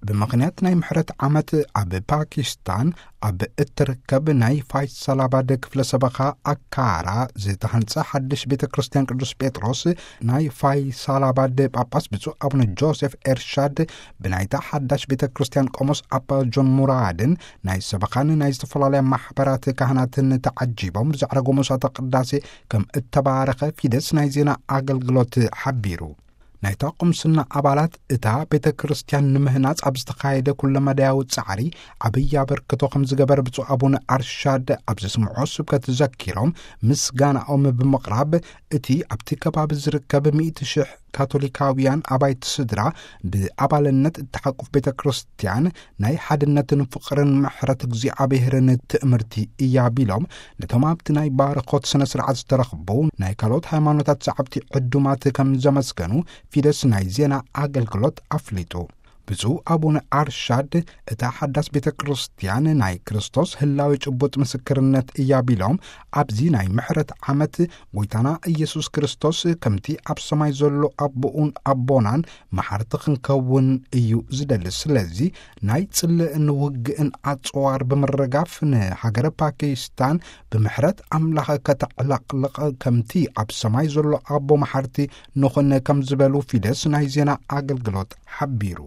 ብምኽንያት ናይ ምሕረት ዓመት፣ ኣብ ፓኪስታን ኣብ እትርከብ ናይ ፋይሳላባድ ክፍለ ሰበኻ ኣካራ ዝተሃንጸ ሓድሽ ቤተ ክርስቲያን ቅዱስ ጴጥሮስ፣ ናይ ፋይሳላባድ ጳጳስ ብፁዕ ኣቡነ ጆሴፍ ኤርሻድ ብናይታ ሓዳሽ ቤተ ክርስቲያን ቆሞስ ኣባ ጆን ሙራድን ናይ ሰበኻን ናይ ዝተፈላለያ ማሕበራት ካህናትን ተዓጂቦም ብዘዕረጎ መስዋዕተ ቅዳሴ ከም እተባረኸ ፊደስ ናይ ዜና ኣገልግሎት ሓቢሩ። ናይታ ቁምስና ኣባላት፣ እታ ቤተ ክርስቲያን ንምህናጽ ኣብ ዝተኻየደ ኩለመዳያዊ ጻዕሪ ዓብዪ ኣበርክቶ ከም ዝገበረ ብፁዕ ኣቡነ ኣርሻድ ኣብ ዘስምዖ ስብከት ዘኪሮም፣ ምስጋናኦም ብምቕራብ፣ እቲ ኣብቲ ከባቢ ዝርከብ ሚእቲ ሽሕ ካቶሊካውያን ኣባይቲ ስድራ ብኣባልነት እተሓቁፍ ቤተ ክርስቲያን ናይ ሓድነትን ፍቕርን ምሕረት እግዚኣብሔርን ትእምርቲ እያ ቢሎም፣ ነቶም ኣብቲ ናይ ባርኾት ስነ ስርዓት ዝተረኽቡ ናይ ካልኦት ሃይማኖታት ሰዓብቲ ዕዱማት ከም ዘመስገኑ ፊደስ ናይ ዜና ኣገልግሎት ኣፍሊጡ። ብፁዕ ኣቡነ ኣርሻድ፣ እታ ሓዳስ ቤተ ክርስቲያን ናይ ክርስቶስ ህላዌ ጭቡጥ ምስክርነት እያ ቢሎም፣ ኣብዚ ናይ ምሕረት ዓመት ጎይታና ኢየሱስ ክርስቶስ ከምቲ ኣብ ሰማይ ዘሎ ኣቦኡን ኣቦናን መሓርቲ ክንከውን እዩ ዝደሊ። ስለዚ ናይ ጽልእን ውግእን ኣጽዋር ብምርጋፍ፣ ንሃገረ ፓኪስታን ብምሕረት ኣምላኽ ከተዕለቕልቕ፣ ከምቲ ኣብ ሰማይ ዘሎ ኣቦ መሓርቲ ንኹን ከም ዝበሉ ፊደስ ናይ ዜና ኣገልግሎት ሓቢሩ።